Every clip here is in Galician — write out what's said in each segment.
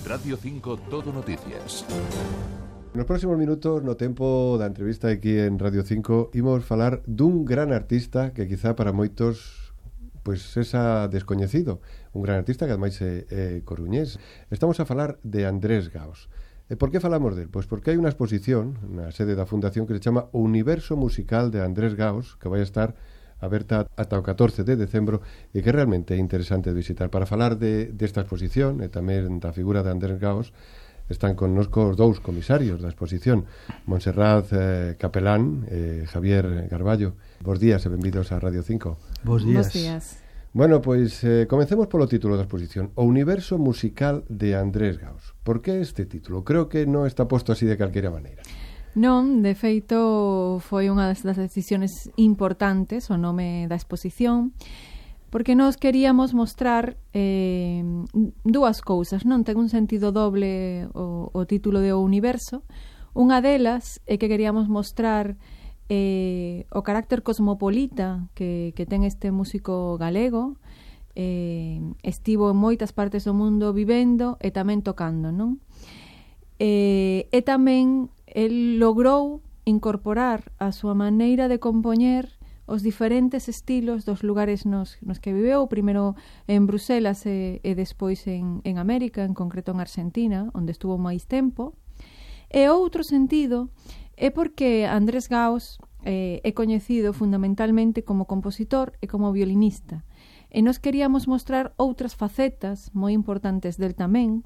Radio 5 Todo Noticias. Nos próximos minutos, no tempo da entrevista aquí en Radio 5, imos falar dun gran artista que quizá para moitos pois sexa descoñecido, un gran artista que ademais é coruñés. Estamos a falar de Andrés Gaos. E por que falamos del? Pois porque hai unha exposición na sede da Fundación que se chama O Universo Musical de Andrés Gaos, que vai a estar aberta ata o 14 de decembro e que realmente é interesante de visitar. Para falar desta exposición e tamén da figura de Andrés Gaos, están connosco os dous comisarios da exposición, Montserrat Capelán e Javier Garballo. Bos días e benvidos a Radio 5. Bos días. Bos días. Bueno, pois comencemos polo título da exposición, O Universo Musical de Andrés Gaos. Por que este título? Creo que non está posto así de calquera maneira. Non, de feito, foi unha das decisiones importantes o nome da exposición, porque nós queríamos mostrar dúas cousas, non? Ten un sentido doble o título de O Universo. Unha delas é que queríamos mostrar o carácter cosmopolita que ten este músico galego. Estivo en moitas partes do mundo vivendo e tamén tocando, non? E tamén el logrou incorporar a súa maneira de compoñer os diferentes estilos dos lugares nos que viveu, primeiro en Bruselas e despois en América, en concreto en Argentina, onde estuvo máis tempo. E outro sentido é porque Andrés Gaos é coñecido fundamentalmente como compositor e como violinista. E nos queríamos mostrar outras facetas moi importantes del tamén,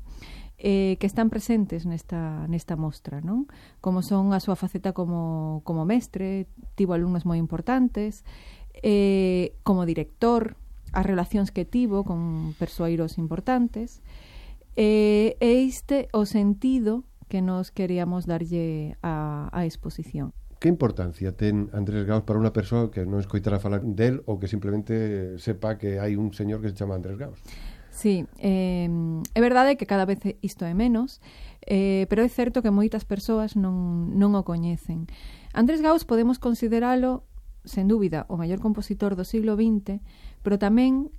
que están presentes nesta mostra, non? Como son a súa faceta como mestre, tivo alumnos moi importantes, como director, as relacións que tivo con persoeiros importantes, e este o sentido que nos queríamos darlle a exposición. Que importancia ten Andrés Gaos para unha persoa que non escoitara falar del ou que simplemente sepa que hai un señor que se chama Andrés Gaos? Sí, é verdade que cada vez isto é menos, pero é certo que moitas persoas non o coñecen. Andrés Gaos podemos consideralo, sen dúbida, o maior compositor do siglo XX, pero tamén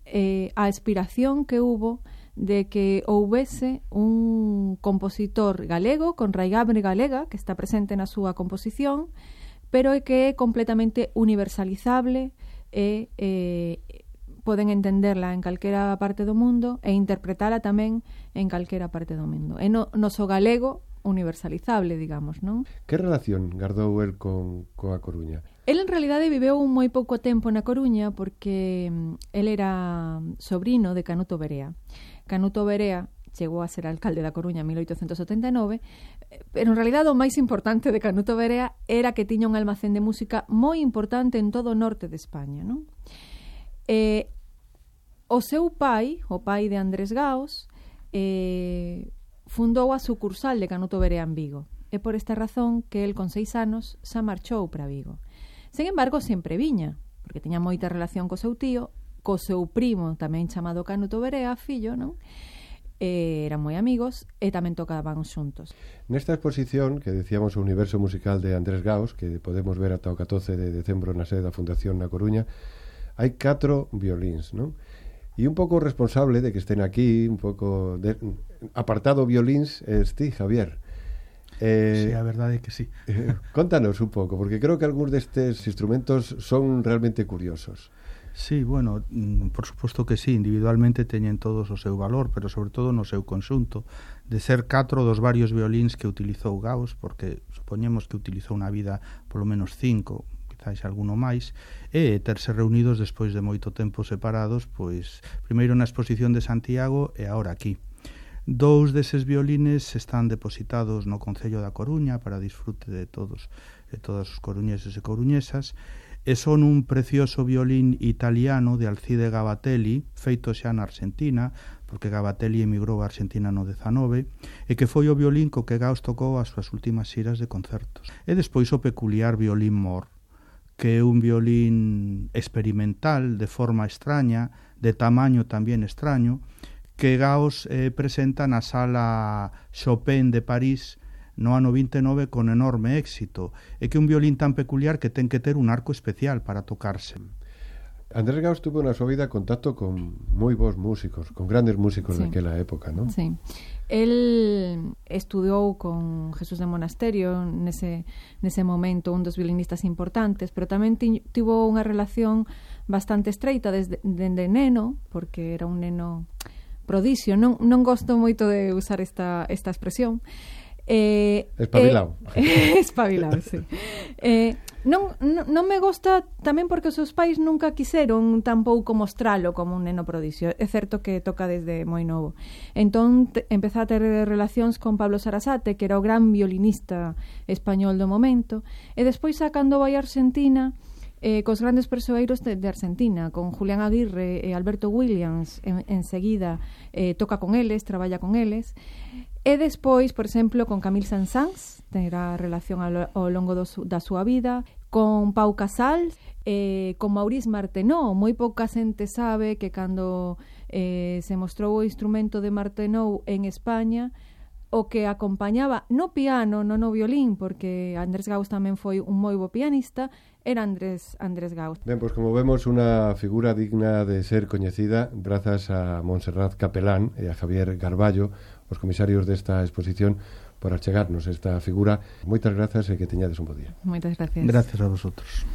a aspiración que hubo de que houvese un compositor galego, con raigambre galega, que está presente na súa composición, pero que é completamente universalizable e poden entenderla en calquera parte do mundo e interpretala tamén en calquera parte do mundo. É noso galego universalizable, digamos, non? Que relación gardou el coa Coruña? El en realidade viveu moi pouco tempo na Coruña porque el era sobrino de Canuto Berea. Canuto Berea chegou a ser alcalde da Coruña en 1879, pero en realidade o máis importante de Canuto Berea era que tiña un almacén de música moi importante en todo o norte de España, non? O seu pai, o pai de Andrés Gaos, fundou a sucursal de Canuto Berea en Vigo. É por esta razón que el con 6 anos xa marchou para Vigo. Sen embargo, sempre viña, porque tiña moita relación co seu tío, co seu primo, tamén chamado Canuto Berea, fillo, non? Eran moi amigos e tamén tocaban xuntos. Nesta exposición que decíamos o Universo Musical de Andrés Gaos, que podemos ver ata o 14 de decembro na sede da Fundación na Coruña, hai 4 violíns, non? E un pouco responsable de que estén aquí, un pouco apartado violíns, ti, Javier. Sí, a verdade é que sí. Contanos un pouco, porque creo que algúns destes instrumentos son realmente curiosos. Sí, bueno, por suposto que sí, individualmente teñen todos o seu valor, pero sobre todo no seu conxunto, de ser 4 dos varios violíns que utilizou Gaos, porque supoñemos que utilizou na vida polo menos 5, quizás alguno máis, e terse reunidos despois de moito tempo separados, pois primeiro na exposición de Santiago e agora aquí. 2 deses violines están depositados no Concello da Coruña para disfrute de todos e todas os coruñeses e coruñesas, e son un precioso violín italiano de Alcide Gabatelli, feito xa na Argentina, porque Gabatelli emigrou a Argentina no 19, e que foi o violín co que Gaos tocou as súas últimas xiras de concertos. E despois o peculiar violín Mor, que é un violín experimental, de forma extraña, de tamaño tamén extraño, que Gaos presenta na sala Chopin de París no ano 29 con enorme éxito, e que é un violín tan peculiar que ten que ter un arco especial para tocarse. Andrés Gaus tuvo na súa vida contacto con moi bons músicos, con grandes músicos daquela época, non? Sí. El estudiou con Jesús de Monasterio nese momento, un dos violinistas importantes, pero tamén tivo unha relación bastante estreita desde neno, porque era un neno prodigio. Non gosto moito de usar esta expresión. Espabilado. Espabilado, sí. Non me gosta tamén porque os seus pais nunca quixeron tampouco mostralo como un neno prodigio. É certo que toca desde moi novo. Entón empezou a ter relacións con Pablo Sarasate, que era o gran violinista español do momento, e despois cando vai a Argentina, cos grandes persoeiros de Argentina, con Julián Aguirre e Alberto Williams, enseguida toca con eles, traballa con eles. E despois, por exemplo, con Camille Saint-Saëns, terá relación ao longo da súa vida, con Pau Casals, con Maurice Martenot. Moi pouca xente sabe que cando se mostrou o instrumento de Martenot en España, o que acompañaba no piano, non no violín, porque Andrés Gaus tamén foi un moi bo pianista, era Andrés Gaus. Ben, pois como vemos, unha figura digna de ser coñecida grazas a Montserrat Capelán e a Javier Garballo, os comisarios desta exposición, por achegarnos esta figura. Moitas grazas e que teñades un bo día. Moitas gracias. Gracias a vosotros.